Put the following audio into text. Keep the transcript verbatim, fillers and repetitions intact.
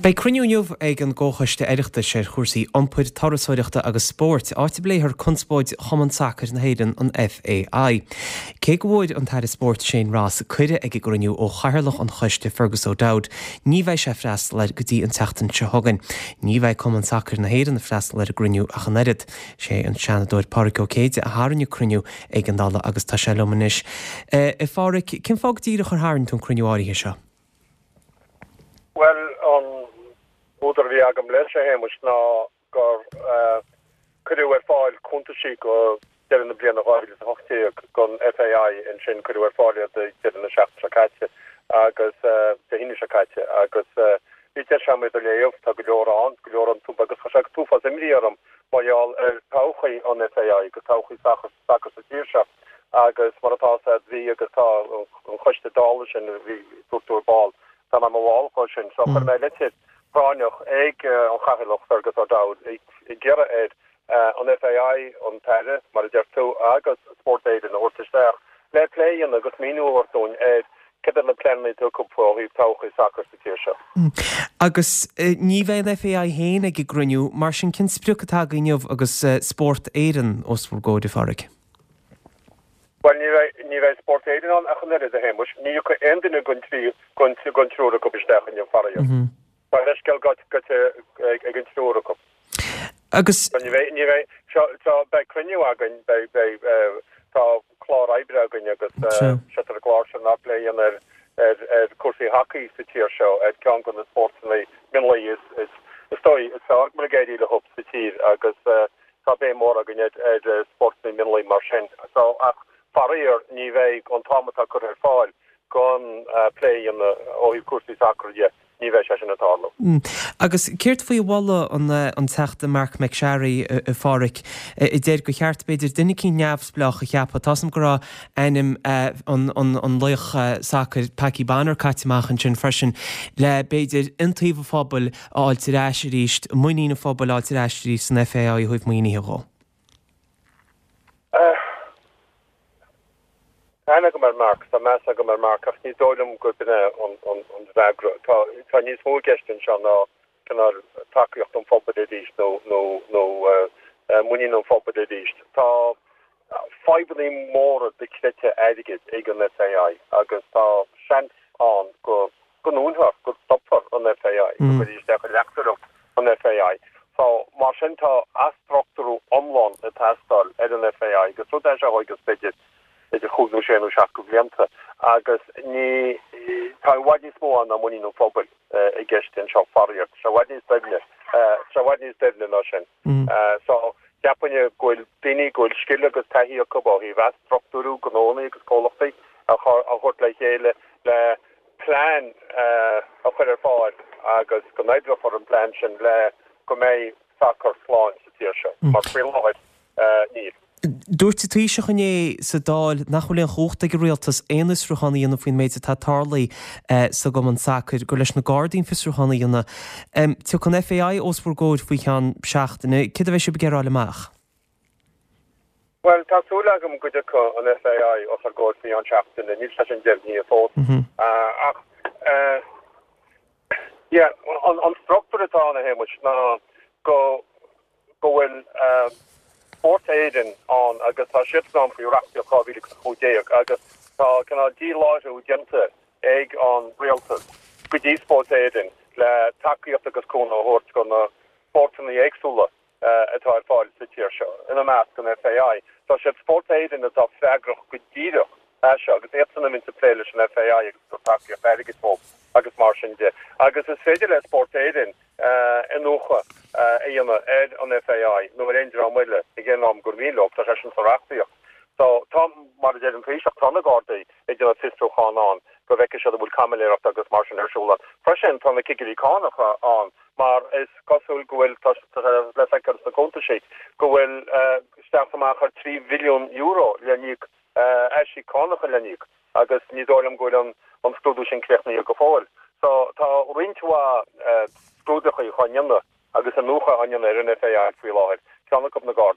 Beidh cruinniú inniu ag an gComhchoiste Oireachtais ar chúrsaí iompair, turasóireachta agus spóirt, áit a bpléifear conspóid Chumann Sacair na hÉireann, an FAI. Cé go bhfuair an tAire Spóirt Shane Ross cuireadh ag an gcruinniú ó chathaoirleach an choiste Fergus O'Dowd, ní bheidh sé ag freastal air go dtí an tseachtain seo chugainn. Ní bheidh Cumann Sacair na hÉireann ag freastal ar an gcruinniú ach an oiread. Sé an Seanadóir Pádraig Ó Céide a tharraing an cruinniú ag an Dáil agus tá sé liom anois. A Phádraig, cén fáth go díreach ar tharraing tú an cruinniú áirithe seo? Bhuel, an údar a bhí agam leis, a Shéamais, ná gur cuireadh ar fáil cuntaisí go deireadh na bliana dhá mhíle is a hocht déag don FAI ansin, cuireadh ar fáil iad ag deireadh na seachtaine seo caite agus Dé hAoine seo caite agus bhí deis agam iad a léamh, tá go leor ann, go leor iontu agus chuir sé an t-uafás imní orm mar gheall ar todhchaí an FAI agus todhchaí sacair sa tír seo agus mar atá a fhios agat bhí agus tá an choiste Dála sin a bhí, dúirt tú ar ball, Tá mé i mo bhall dhó sin. So chuir mé litir phráinneach ag an Chathaoirleach Fergus O'Dowd ag iarraidh air an FAI, an tAire, mar a deir tú, agus Spórt Éireann a thabhairt isteach le plé a dhéanamh agus míniú a thabhairt dúinn ar cad iad na pleananna atá acu ó thaobh todhchaí sacair sa tír seo. Agus ní bheidh an FAI féin ag an gcruinniú, mar sin cén sprioc atá agaibh inniu agus Spórt Éireann os bhur gcomhair, a Phádraig? Bhuel, ní bheidh, ní bheidh Spórt Éireann ann ach an oiread, a Shéamuis. Ní thiocfaidh aon duine den trí, den, den triúr acu isteach inniu, faraor. Tá leithscéal gaibhte ag an triúr acu. Agus. So ní bheidh, ní bheidh, seo, seo, beidh cruinniú againn, beidh, beidh, tá clár oibre againn agus sé ar an gclár sin ná plé a dhéanamh ar, ar, ar cúrsaí hacaí sa tír seo, ar ceann de na spórtanna mionlaigh is, is, is dóigh, is fearr go bhfuil ag éirí leo sa tír agus, Tá béim mhór againn ar spórtanna mionlaigh mar sin. So, ach faraor, ní bheidh an t-am atá curtha ar fáil don plé a dhéanamh ó thaobh cúrsaí sacair dhe, ní bheidh sé sin ag tarlú. Agus céard faoi mholadh an Teachta Marc MacSharry, a Pháraic, a deir gur cheart, b'fhéidir, duine eicínt neamhspleách a cheapadh? Tá's a'm go raibh ainm an laoch sacair Packie Bonner caite amach ansin freisin, le, b'fhéidir, iontaoibh an phobail a fháilt ar ais arís, muinín an phobail a fháilt ar ais arís san FAI ó thaobh maoinithe dhó. Tá aithne agam ar Marc, tá meas agam ar Marc ach ní dóigh liom gurb in é an freagra. Tá níos mó i gceist anseo ná cineál tacaíocht an phobail arís nó nó muinín an phobail arís. Tá fadhbanna móra dochreidte airgid ag an FAI agus tá seans ann go go ndúnfar, go stopfar an FAI, go gcuirfí isteach i reachtaireacht an FAI. So, mar sin tá athstruchtúrú iomlán ag teastáil ar an FAI agus rud é seo a thógfas b'fhéidir idir chúig nó sé nó seacht de bhlianta agus ní, tá i bhfad níos mó ann ná muinín an phobail i gceist anseo faraor. Tá sé i bhfad níos doimhne, tá sé i bhfad níos doimhne ná sin. So, cheapfainn go bhfuil daoine go bhfuil scil agus taithí acu ó thaobh athstruchtúrú gnónna agus comhlachtaí a thabhairt le chéile le plean a chur ar fáil agus go n-oibreofar an plean sin le go mbeidh sacar slán sa tír seo, mar faoi láthair, níl. Dúirt an Taoiseach inné sa Dáil nach bhfuil aon chumhacht ag an Rialtas aon fhiosrúchán a dhéanamh faoin méid atá tarlaithe sa gcumann sacair, gur leis na Gardaí an fiosrúchán a dhéanamh. Tiocfaidh an FAI os bhur gcomhair faoi cheann seachtaine. Céard a bheidh sibh ag iarraidh a fháil amach? Bhuel, tá súil agam go dtiocfaidh an FAI os ár gcomhair faoi cheann seachtaine, níl sé sin deimhnithe fós. Ach, yeah, an struchtúr atá ann, a Shéamuis, ná go go bhfuil Spórt Éireann ann agus tá siadsan ann faoi reachtaíocht dhá mhíle agus a cúig déag agus tá cineál díláithriú déanta ag an rialtas go dtí Spórt Éireann le tacaíocht agus cúnamh a thabhairt do na spórtanna éagsúla. atá ar fáil sa tír seo, ina measc an FAI. So is iad Spórt Éireann atá freagrach go díreach as seo agus iadsan a bhíonns ag plé leis an FAI agus ag tabhairt tacaíocht airgid dóibh agus mar sin de. Agus is féidir le Spórt Éireann iniúchadh a dhéanamh ar an FAI nó ar aon dream eile ag aon am gur mian leo, tá sé sin sa reachtaíocht. So tá, mar a deir an Taoiseach, tá na Gardaí ag déanamh fiosrúchán ann go bhfeicfidh siad an bhfuil caimiléireacht agus mar sin ar siúl ann. Freisin tá na cigirí cánach ann mar is cosúil go bhfuil, tá sé le feiceáil sna cuntaisí, go bhfuil isteach is amach ar trí bhilliún euro le n-íoc, aisíoc cánacha le n-íoc agus ní dóigh liom go bhfuil an scrúdú sin críochnaithe go fóill. So tá roinnt mhaith scrúdachaí á ndéanamh agus iniúchadh á ndéanamh ar an FAI faoi láthair, ceann acu na Gardaí.